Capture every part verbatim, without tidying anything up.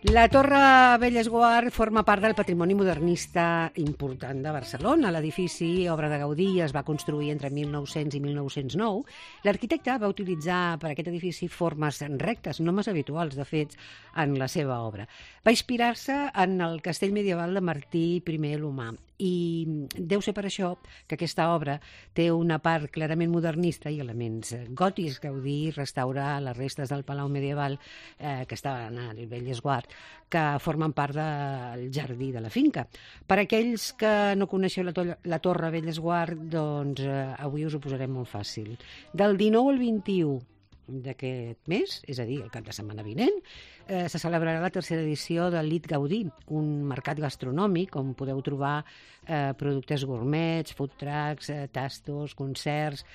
La Torre Bellesguard forma part del patrimoni modernista important de Barcelona. L'edifici, obra de Gaudí, es va construir entre mil nou-cents i mil nou-cents nou. L'arquitecte va utilitzar per aquest edifici formes rectes, no massa habituals, de fet, en la seva obra. Va inspirar-se en el castell medieval de Martí primer l'Humà. I deu ser per això que aquesta obra té una part clarament modernista i elements gòtics. Gaudí restaura les restes del palau medieval eh, que estaven al Bellesguard, que formen part del jardí de la finca. Per aquells que no coneixeu la, to la Torre Bellesguard, doncs eh, avui us ho posarem molt fàcil. Del dinou al vint-i-u d'aquest mes, és a dir, el cap de setmana vinent, eh, se celebrarà la tercera edició del Lit Gaudí, un mercat gastronòmic on podeu trobar eh, productes gourmets, food trucks, eh, tastos, concerts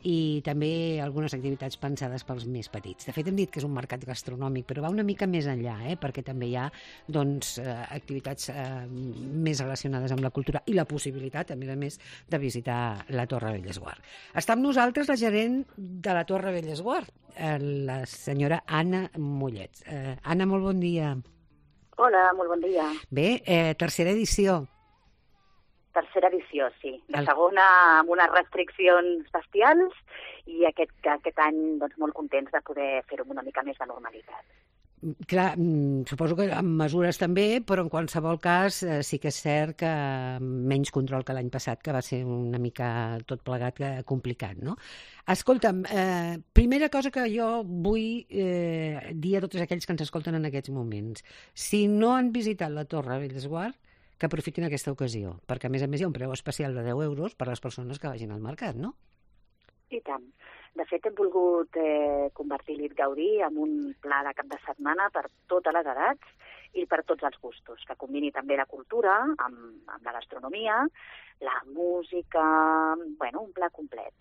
i també algunes activitats pensades pels més petits. De fet, hem dit que és un mercat gastronòmic, però va una mica més enllà, eh, perquè també hi ha doncs, eh, activitats eh, més relacionades amb la cultura i la possibilitat, a més a més, de visitar la Torre Bellesguard. Està amb nosaltres la gerent de la Torre Bellesguard, la senyora Anna Mollets. Eh, Anna, molt bon dia. Hola, molt bon dia. Bé, eh, tercera edició. Tercera edició, sí. La El... segona amb unes restriccions bestials i aquest, aquest any doncs, molt contents de poder fer-ho amb una mica més de normalitat. Clar, suposo que amb mesures també, però en qualsevol cas eh, sí que és cert que menys control que l'any passat, que va ser una mica tot plegat eh, complicat, no? Escolta'm, eh, primera cosa que jo vull eh, dir a tots aquells que ens escolten en aquests moments. Si no han visitat la Torre Bellesguard, que aprofitin aquesta ocasió, perquè a més a més hi ha un preu especial de deu euros per a les persones que vagin al mercat, no? I tant. De fet, hem volgut eh, convertir l'It Gaudí en un pla de cap de setmana per totes les edats i per tots els gustos, que combini també la cultura amb, amb la gastronomia, la música, bueno, un pla complet.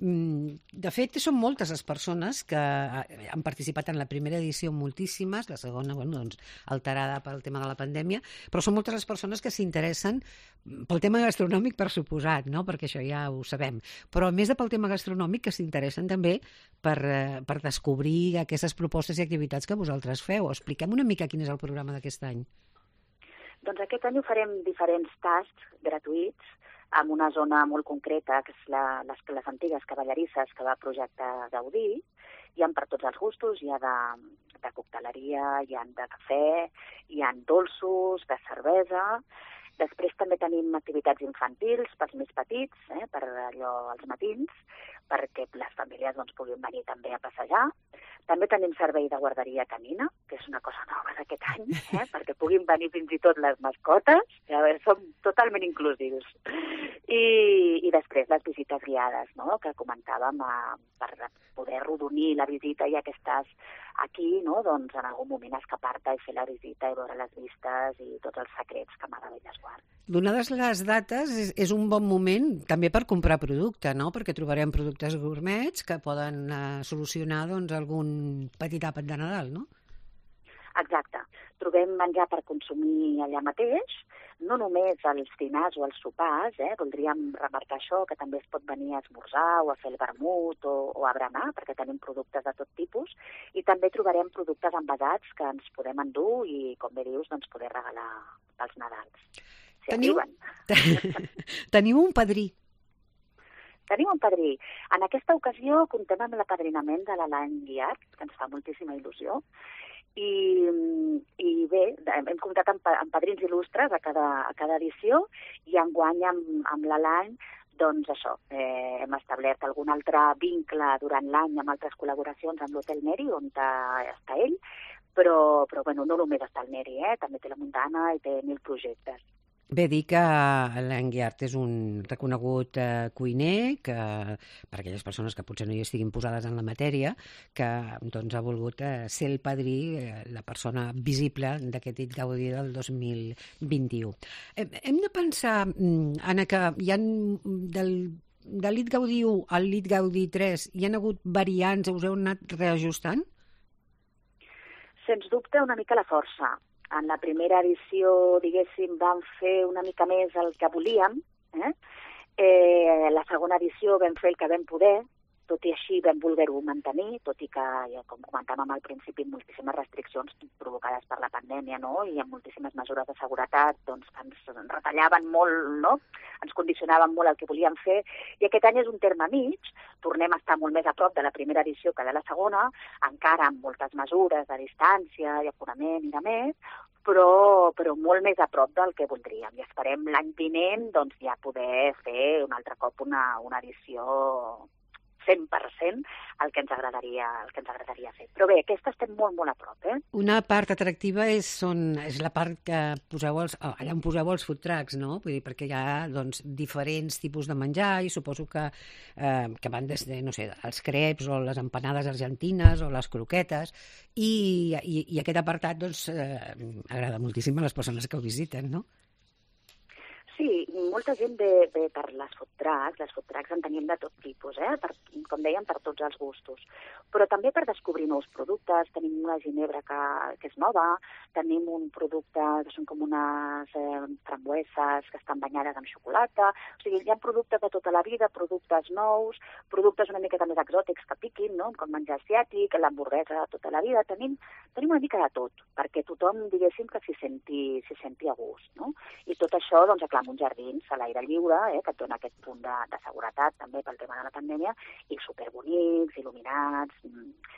De fet, són moltes les persones que han participat en la primera edició, moltíssimes, la segona, bueno, doncs, alterada pel tema de la pandèmia, però són moltes les persones que s'interessen pel tema gastronòmic, per suposat, no? Perquè això ja ho sabem, però a més de pel tema gastronòmic, que s'interessen també per, per descobrir aquestes propostes i activitats que vosaltres feu. Expliquem una mica quin és el programa d'aquest any. Doncs aquest any ho farem diferents tasts gratuïts en una zona molt concreta, que és la, les, les antigues cavallerisses que va projectar Gaudí. Hi ha per tots els gustos, hi ha de, de cocteleria, hi ha de cafè, hi ha dolços, de cervesa. Després també tenim activitats infantils pels més petits, eh, per allò als matins, perquè les famílies doncs, puguin venir també a passejar. També tenim servei de guarderia canina, que és una cosa nova d'aquest any, eh, perquè puguin venir fins i tot les mascotes. A veure, som totalment inclusius. I, i després les visites guiades, no?, que comentàvem, a, per poder rodonir la visita, ja que estàs aquí, no?, doncs en algun moment escapar-te i fer la visita i veure les vistes i tots els secrets que m'ha de Bellesguard. Donades les dates, és, és un bon moment també per comprar producte, no?, perquè trobarem productes gourmets que poden eh, solucionar doncs, algun petit àpat de Nadal, no? Exacte. Trobem menjar per consumir allà mateix, no només als dinars o als sopars, eh? Voldríem remarcar això, que també es pot venir a esmorzar o a fer el vermut o, o a berenar, perquè tenim productes de tot tipus, i també trobarem productes envasats que ens podem endur i, com bé dius, doncs poder regalar pels Nadals. Si Teniu... Teniu un padrí. Tenim un padrí. En aquesta ocasió comptem amb l'apadrinament de l'Alain Guiart, que ens fa moltíssima il·lusió, i, i bé, hem comptat amb, amb padrins il·lustres a cada, a cada edició, i enguany amb, amb l'Alain, doncs això, eh, hem establert algun altre vincle durant l'any amb altres col·laboracions amb l'Hotel Neri, on està ell, però, però bueno, no només està el Neri, eh? També té la Montana i té mil projectes. Bé, dir que l'Alain Guiart és un reconegut eh, cuiner, que per aquelles persones que potser no hi estiguin posades en la matèria, que doncs, ha volgut eh, ser el padrí, eh, la persona visible d'aquest Lit Gaudí del dos mil vint-i-u. Eh, hem de pensar, Anna, que hi ha del, del Lit Gaudí u al Lit Gaudí tres hi ha hagut variants, us heu anat reajustant? Sens dubte, una mica la força. En la primera edició, diguéssim, vam fer una mica més el que volíem. Eh? Eh, la segona edició vam fer el que vam poder, tot i així vam voler-ho mantenir, tot i que, ja, com comentàvem al principi, moltíssimes restriccions provocades per la pandèmia, no? I amb moltíssimes mesures de seguretat, doncs, ens retallaven molt, no? Ens condicionaven molt el que volíem fer, i aquest any és un terme mig, tornem a estar molt més a prop de la primera edició que de la segona, encara amb moltes mesures de distància i aforament i de més, però, però molt més a prop del que voldríem. I esperem l'any vinent doncs, ja poder fer un altre cop una, una edició cent per cent el que ens agradaria, el que ens agradaria fer. Però bé, aquesta estem molt, molt a prop, eh? Una part atractiva és, són, és la part que poseu els, oh, allà on poseu els food trucks, no? Vull dir, perquè hi ha doncs, diferents tipus de menjar i suposo que, eh, que van des de, no sé, els creps o les empanades argentines o les croquetes i, i, i aquest apartat doncs, eh, agrada moltíssim a les persones que ho visiten, no? Sí, molta gent ve, ve per les food trucks, les food trucks en tenim de tot tipus, eh? Per, com dèiem, per tots els gustos, però també per descobrir nous productes. Tenim una ginebra que, que és nova, tenim un producte que són com unes eh, frambueses que estan banyades en xocolata, o sigui, hi ha productes de tota la vida, productes nous, productes una miqueta més exòtics que piquin, no? Com menjar asiàtic, l'hamburguesa de tota la vida, tenim, tenim una mica de tot, perquè tothom, diguéssim, que s'hi senti, s'hi senti a gust, no? I tot això, doncs, clar, uns jardins a l'aire lliure, eh, que et dona aquest punt de, de seguretat també pel tema de la pandèmia, i superbonics, il·luminats.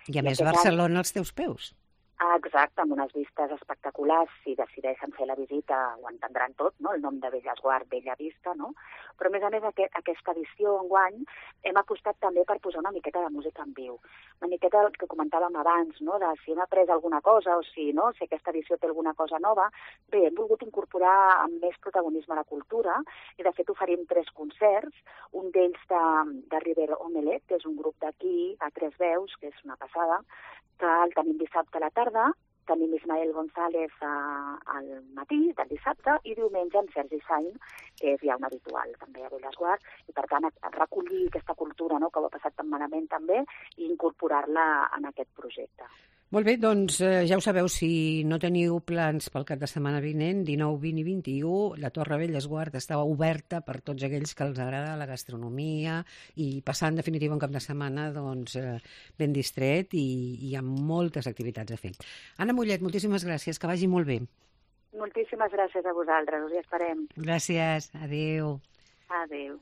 I a I més Barcelona any... als teus peus. Ah, exacte, amb unes vistes espectaculars. Si decideixen fer la visita ho entendran tot, no? El nom de Bellesguard, Bella Vista, no? Però a més a més aquest, aquesta edició enguany hem apostat també per posar una miqueta de música en viu. Una miqueta el que comentàvem abans, no? De si hem après alguna cosa o si, no? Si aquesta edició té alguna cosa nova. Bé, hem volgut incorporar amb més protagonisme la cultura i de fet oferim tres concerts, un d'ells de, de River Omelette, que és un grup d'aquí, a tres veus, que és una passada, que el tenim dissabte a la tarda, tenim Ismael González a, al matí del dissabte i diumenge en Sergi Sain, que és ja un habitual també a Bellesguard, i per tant recollir aquesta cultura, no?, que ho ha passat tan malament també i incorporar-la en aquest projecte. Molt bé, doncs eh, ja ho sabeu, si no teniu plans pel cap de setmana vinent, dinou, vint i vint-i-u, la Torre Bellesguard està oberta per tots aquells que els agrada la gastronomia i passar en definitiva un cap de setmana doncs, eh, ben distret i, i amb moltes activitats a fer. Anna Mollet, moltíssimes gràcies, que vagi molt bé. Moltíssimes gràcies a vosaltres, us hi esperem. Gràcies, adéu. Adéu.